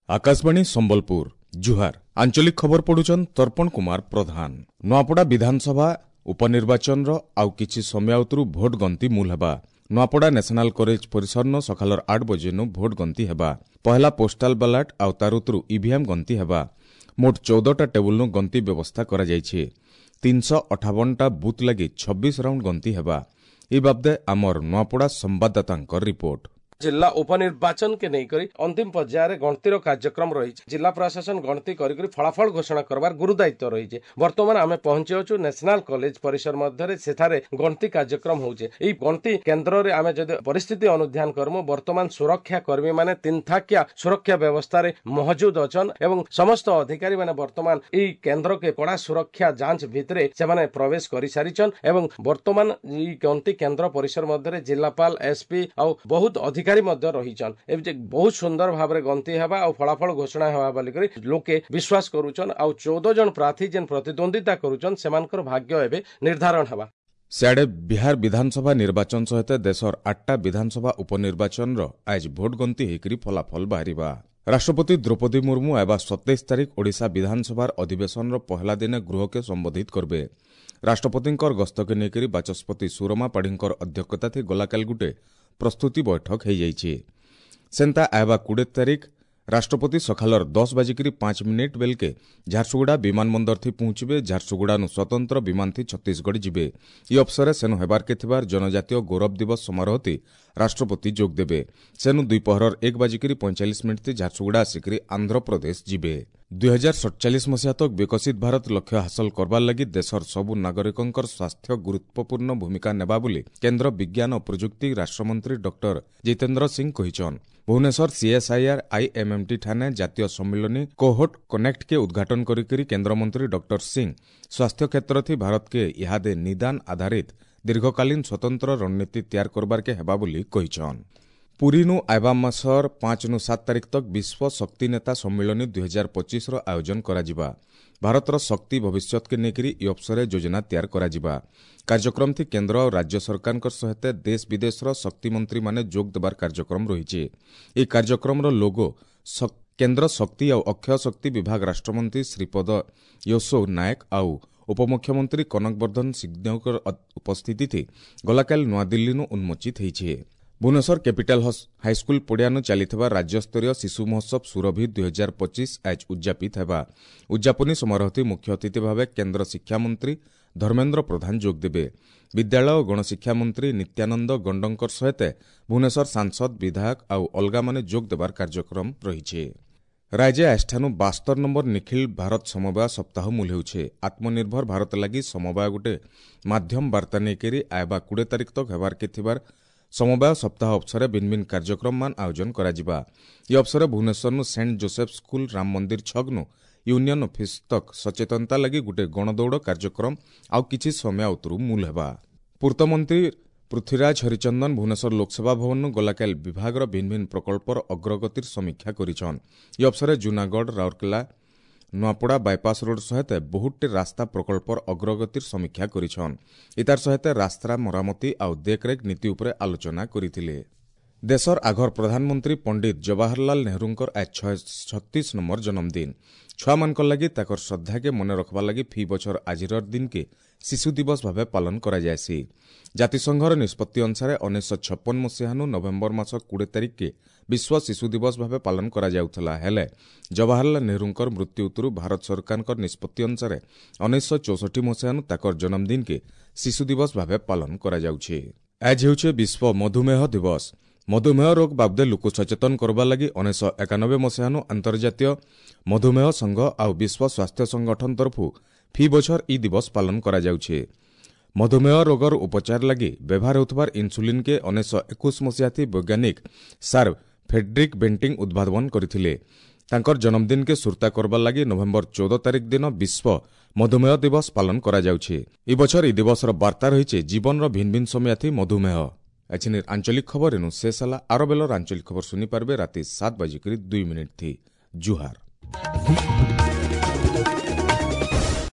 ଆକାଶବାଣୀ ସମ୍ବଲପୁର, ଜୁହାର। ଆଞ୍ଚଳିକ ଖବର ପଢୁଛନ୍ ତର୍ପଣ କୁମାର ପ୍ରଧାନ। ନୂଆପଡ଼ା ବିଧାନସଭା ଉପନିର୍ବାଚନର ଆଉ କିଛି ସମୟ ଉତରୁ ଭୋଟ ଗଣତି ମୂଲ ହେବା। ନୂଆପଡ଼ା ନ୍ୟାସନାଲ କଲେଜ ପରିସରନ ସକାଳର 8 ବଜେନୁ ଭୋଟ ଗଣତି ହେବା। ପହଲା ପୋଷ୍ଟାଲ ବାଲାଟ ଆଉ ତାର ଉତରୁ ଇଭିଏମ୍ ଗଣତି ହେବା। ମୋଟ 14ଟା ଟେବୁଲନୁ ଗଣତି ବ୍ୟବସ୍ଥା କରାଯାଇଛି। 358ଟା ବୁଥ୍ ଲାଗି 26 ରାଉଣ୍ଡ ଗଣତି ହେବା। ଏ ବାବଦେ ଆମର ନୂଆପଡ଼ା ସମ୍ବାଦଦାତାଙ୍କ ରିପୋର୍ଟ। ଜିଲ୍ଲା ଉପନିର୍ବାଚନ କେ ନେଇକରି ଅନ୍ତିମ ପର୍ଯ୍ୟାୟରେ ଗଣତିର କାର୍ଯ୍ୟକ୍ରମ ରହିଛି। ଜିଲ୍ଲା ପ୍ରଶାସନ ଗଣତି କରିକରି ଫଳାଫଳ ଘୋଷଣା କରବାର ଗୁରୁ ଦାୟିତ୍ୱ ରହିଛି। ବର୍ତ୍ତମାନ ଆମେ ପହଞ୍ଚି ଅଛୁ ନ୍ୟାସନାଲ କଲେଜ ପରିସର ମଧ୍ୟରେ, ସେଠାରେ ଗଣତି କାର୍ଯ୍ୟକ୍ରମ ହେଉଛି। ଏଇ ଗଣତି କେନ୍ଦ୍ରରେ ଆମେ ଯଦି ପରିସ୍ଥିତି ଅନୁଧ୍ୟାନ କରମୁ, ବର୍ତ୍ତମାନ ସୁରକ୍ଷା କର୍ମୀ ମାନେ ତିନଥାକିଆ ସୁରକ୍ଷା ବ୍ୟବସ୍ଥାରେ ମହଜୁଦ ଅଛନ୍ ଏବଂ ସମସ୍ତ ଅଧିକାରୀ ମାନେ ବର୍ତ୍ତମାନ ଏଇ କେନ୍ଦ୍ରକେ କଡ଼ା ସୁରକ୍ଷା ଯାଞ୍ଚ ଭିତରେ ସେମାନେ ପ୍ରବେଶ କରିସାରିଛନ୍ ଏବଂ ବର୍ତ୍ତମାନ ଏଇ ଗଣତି କେନ୍ଦ୍ର ପରିସର ମଧ୍ୟରେ ଜିଲ୍ଲାପାଳ, ଏସପି ଆଉ ବହୁତ ଅଧିକାରୀ ମଧ୍ୟ ରହିଛନ୍। ଏବେ ବହୁତ ସୁନ୍ଦର ଭାବରେ ଗଣତି ହେବା ଆଉ ଫଳାଫଳ ଘୋଷଣା ହେବା ବୋଲିକରି ଲୋକେ ବିଶ୍ୱାସ କରୁଛନ୍। ଆଉ 14 ଜଣ ପ୍ରାର୍ଥୀ ଯେନ୍ ପ୍ରତିଦ୍ୱନ୍ଦିତା କରୁଛନ୍, ସେମାନଙ୍କର ଭାଗ୍ୟ ଏବେ ନିର୍ଦ୍ଧାରଣ ହେବା। ସିଆଡ଼େ ବିହାର ବିଧାନସଭା ନିର୍ବାଚନ ସହିତ ଦେଶର 8ଟା ବିଧାନସଭା ଉପନିର୍ବାଚନର ଆଜ ଭୋଟ ଗଣତି ହେଇକରି ଫଳାଫଳ ବାହାରିବା। ରାଷ୍ଟ୍ରପତି ଦ୍ରୌପଦୀ ମୁର୍ମୁ ଆଇବା 27 ତାରିଖ ଓଡ଼ିଶା ବିଧାନସଭାର ଅଧିବେଶନର ପହଲା ଦିନେ ଗୃହକେ ସମ୍ବୋଧିତ କରିବେ। ରାଷ୍ଟ୍ରପତିଙ୍କର ଗସ୍ତକେ ନେଇକରି ବାଚସ୍ପତି ସୁରମା ପାଢ଼ୀଙ୍କର ଅଧ୍ୟକ୍ଷତା ଗଲାକାଲି ଗୁଟେ ପ୍ରସ୍ତୁତି ବୈଠକ ହୋଇଯାଇଛି। ସେନ୍ତା ଆଇବା 20 ତାରିଖ ରାଷ୍ଟ୍ରପତି ସକାଳର 10:05 ବେଲକେ ଝାରସୁଗୁଡ଼ା ବିମାନ ବନ୍ଦରଥି ପହଞ୍ଚିବେ। ଝାରସୁଗୁଡ଼ାନୁ ସ୍ୱତନ୍ତ୍ର ବିମାନଥି ଛତିଶଗଡ଼ ଯିବେ। ଇ ଅବସରରେ ସେନୁ ହେବାର୍କେ ଥିବାର ଜନଜାତୀୟ ଗୌରବ ଦିବସ ସମାରୋହତି ରାଷ୍ଟ୍ରପତି ଯୋଗ ଦେବେ। ସେନୁ ଦ୍ୱିପହରର 1:45 ଝାରସୁଗୁଡ଼ା ଆସିକରି ଆନ୍ଧ୍ରପ୍ରଦେଶ ଯିବେ। 2047 ମସିହା ତକ ବିକଶିତ ଭାରତ ଲକ୍ଷ୍ୟ ହାସଲ କରବାର ଲାଗି ଦେଶର ସବୁ ନାଗରିକଙ୍କର ସ୍ୱାସ୍ଥ୍ୟ ଗୁରୁତ୍ୱପୂର୍ଣ୍ଣ ଭୂମିକା ନେବା ବୋଲି କେନ୍ଦ୍ର ବିଜ୍ଞାନ ଓ ପ୍ରଯୁକ୍ତି ରାଷ୍ଟ୍ରମନ୍ତ୍ରୀ ଡକ୍ଟର ଜିତେନ୍ଦ୍ର ସିଂ କହିଛନ୍। ଭୁବନେଶ୍ୱର ସିଏସ୍ଆଇଆର୍ ଆଇଏମ୍ଏମ୍ଟି ଠାନେ ଜାତୀୟ ସମ୍ମିଳନୀ କୋହୋଟ କନେକ୍ଟକେ ଉଦ୍ଘାଟନ କରିକରି କେନ୍ଦ୍ରମନ୍ତ୍ରୀ ଡକ୍ଟର ସିଂ ସ୍ୱାସ୍ଥ୍ୟ କ୍ଷେତ୍ରଥି ଭାରତକେ ଇହାଦେ ନିଦାନ ଆଧାରିତ ଦୀର୍ଘକାଳୀନ ସ୍ୱତନ୍ତ୍ର ରଣନୀତି ତିଆର କରବାର୍କେ ହେବା ବୋଲି କହିଛନ୍। ପୁରୀନୁ ଆଇବା ମାସର 5ନୁ 7 ତାରିଖ ତକ ବିଶ୍ୱ ଶକ୍ତି ନେତା ସମ୍ମିଳନୀ 2025ର ଆୟୋଜନ କରାଯିବା। ଭାରତର ଶକ୍ତି ଭବିଷ୍ୟତକେ ନେଇକରି ଇ ଅବସରରେ ଯୋଜନା ତିଆର କରାଯିବା। କାର୍ଯ୍ୟକ୍ରମଥି କେନ୍ଦ୍ର ଓ ରାଜ୍ୟ ସରକାରଙ୍କ ସହିତ ଦେଶ ବିଦେଶର ଶକ୍ତିମନ୍ତ୍ରୀମାନେ ଯୋଗ ଦେବାର କାର୍ଯ୍ୟକ୍ରମ ରହିଛି। ଏହି କାର୍ଯ୍ୟକ୍ରମର ଲୋଗୋ କେନ୍ଦ୍ର ଶକ୍ତି ଆଉ ଅକ୍ଷୟ ଶକ୍ତି ବିଭାଗ ରାଷ୍ଟ୍ରମନ୍ତ୍ରୀ ଶ୍ରୀପଦ ୟଶୋ ନାୟକ ଆଉ ଉପମୁଖ୍ୟମନ୍ତ୍ରୀ କନକ ବର୍ଦ୍ଧନ ସିଂଦେଓଙ୍କ ଉପସ୍ଥିତିଥି ଗଲାକାଲି ନୂଆଦିଲ୍ଲୀନୁ ଉନ୍ମୋଚିତ ହୋଇଛି। ଭୁବନେଶ୍ୱର କ୍ୟାପିଟାଲ ହାଇସ୍କୁଲ ପଡ଼ିଆନୁ ଚାଲିଥିବା ରାଜ୍ୟସ୍ତରୀୟ ଶିଶୁ ମହୋତ୍ସବ ସୁରଭି 2025 ଆଜ ଉଦ୍ଯାପିତ ହେବା। ଉଦ୍ଯାପନୀ ସମାରୋହଥି ମୁଖ୍ୟ ଅତିଥି ଭାବେ କେନ୍ଦ୍ର ଶିକ୍ଷାମନ୍ତ୍ରୀ ଧର୍ମେନ୍ଦ୍ର ପ୍ରଧାନ ଯୋଗଦେବେ। ବିଦ୍ୟାଳୟ ଓ ଗଣଶିକ୍ଷା ମନ୍ତ୍ରୀ ନିତ୍ୟାନନ୍ଦ ଗଣ୍ଡଙ୍କର ସହିତ ଭୁବନେଶ୍ୱର ସାଂସଦ, ବିଧାୟକ ଆଉ ଅଲଗାମାନେ ଯୋଗ ଦେବାର କାର୍ଯ୍ୟକ୍ରମ ରହିଛି। ରାଜ୍ୟ ଆଜିଠାନୁ 72 ନମ୍ବର ନିଖିଳ ଭାରତ ସମବାୟ ସପ୍ତାହ ମୂଲ ହେଉଛି। ଆତ୍ମନିର୍ଭର ଭାରତ ଲାଗି ସମବାୟ ଗୋଟେ ମାଧ୍ୟମ ବାର୍ତ୍ତା ନେଇକରି ଆଇବା 20 ତାରିଖ ତକ ହେବାର୍କେ ଥିବାର ସମବାୟ ସପ୍ତାହ ଅବସରରେ ଭିନ୍ନ ଭିନ୍ନ କାର୍ଯ୍ୟକ୍ରମମାନ ଆୟୋଜନ କରାଯିବା। ଏ ଅବସରରେ ଭୁବନେଶ୍ୱରନୁ ସେଣ୍ଟ ଜୋସେଫ ସ୍କୁଲ ରାମ ମନ୍ଦିର ଛକନୁ ୟୁନିୟନ ଅଫିସ ତକ ସଚେତନତା ଲାଗି ଗୋଟେ ଗଣଦୌଡ଼ କାର୍ଯ୍ୟକ୍ରମ ଆଉ କିଛି ସମୟ ଉତରୁ ମୂଲ ହେବା। ପୂର୍ତ୍ତମନ୍ତ୍ରୀ ପୃଥ୍ୱୀରାଜ ହରିଚନ୍ଦନ ଭୁବନେଶ୍ୱର ଲୋକସେବା ଭବନରୁ ଗଲାକାଲି ବିଭାଗର ଭିନ୍ନ ଭିନ୍ନ ପ୍ରକଳ୍ପର ଅଗ୍ରଗତିର ସମୀକ୍ଷା କରିଛନ୍। ଏ ଅବସରରେ ଜୁନାଗଡ଼, ରାଉରକେଲା, ନୂଆପଡ଼ା ବାଇପାସ ରୋଡ୍ ସହିତ ବହୁତଟି ରାସ୍ତା ପ୍ରକଳ୍ପର ଅଗ୍ରଗତିର ସମୀକ୍ଷା କରିଛନ୍। ଏତାର ସହିତ ରାସ୍ତା ମରାମତି ଆଉ ଦେଖରେଖ ନୀତି ଉପରେ ଆଲୋଚନା କରିଥିଲେ। ଦେଶର ଆଘର ପ୍ରଧାନମନ୍ତ୍ରୀ ପଣ୍ଡିତ ଜବାହରଲାଲ ନେହେରୁଙ୍କର ଆଜ 636 ନମ୍ବର ଜନ୍ମଦିନ। ଛୁଆମାନଙ୍କର ଲାଗି ତାଙ୍କର ଶ୍ରଦ୍ଧାକେ ମନେ ରଖବା ଲାଗି ଫି ବଛର ଆଜିର ଦିନକେ ଶିଶୁ ଦିବସ ଭାବେ ପାଳନ କରାଯାଏସି। ଜାତିସଂଘର ନିଷ୍ପତ୍ତି ଅନୁସାରେ 1956 ମସିହାନୁ ନଭେମ୍ବର ମାସ 20 ତାରିଖକେ ବିଶ୍ୱ ଶିଶୁ ଦିବସ ଭାବେ ପାଳନ କରାଯାଉଥିଲା। ହେଲେ ଜବାହରଲାଲ ନେହେରୁଙ୍କର ମୃତ୍ୟୁ ଉତ୍ତରୁ ଭାରତ ସରକାରଙ୍କ ନିଷ୍ପତ୍ତି ଅନୁସାରେ 1964 ମସିହାନୁ ତାଙ୍କର ଜନ୍ମଦିନକେ ଶିଶୁ ଦିବସ ଭାବେ ପାଳନ କରାଯାଉଛି। ଆଜ ହେଉଛି ବିଶ୍ୱ ମଧୁମେହ ଦିବସ। ମଧୁମେହ ରୋଗ ବାବଦେ ଲୋକ ସଚେତନ କରବା ଲାଗି 1991 ମସିହାନୁ ଅନ୍ତର୍ଜାତୀୟ ମଧୁମେହ ସଂଘ ଆଉ ବିଶ୍ୱ ସ୍ୱାସ୍ଥ୍ୟ ସଂଗଠନ ତରଫରୁ ଫି ବଛର ଇ ଦିବସ ପାଳନ କରାଯାଉଛି। ମଧୁମେହ ରୋଗର ଉପଚାର ଲାଗି ବ୍ୟବହାର ହେଉଥିବାର ଇନ୍ସୁଲିନ୍କେ 1921 ମସିହାଥି ବୈଜ୍ଞାନିକ ସାର୍ ଫେଡ୍ରିକ୍ ବେଣ୍ଟିଂ ଉଦ୍ଭାବନ କରିଥିଲେ। ତାଙ୍କର ଜନ୍ମଦିନକେ ସୁର୍ତ୍ତା କରବାର ଲାଗି ନଭେମ୍ବର 14 ତାରିଖ ଦିନ ବିଶ୍ୱ ମଧୁମେହ ଦିବସ ପାଳନ କରାଯାଉଛି। ଏ ବଛର ଇ ଦିବସର ବାର୍ତ୍ତା ରହିଛି ଜୀବନର ଭିନ୍ନ ଭିନ୍ନ ସମୟାଥି ମଧୁମେହ। ଏଛିନିର ଆଞ୍ଚଳିକ ଖବର ଏନୁ ଶେଷ ହେଲା। ଆର ବେଲର ଆଞ୍ଚଳିକ ଖବର ଶୁଣିପାରିବେ ରାତି 7:02 ଥି। ଜୁହାର।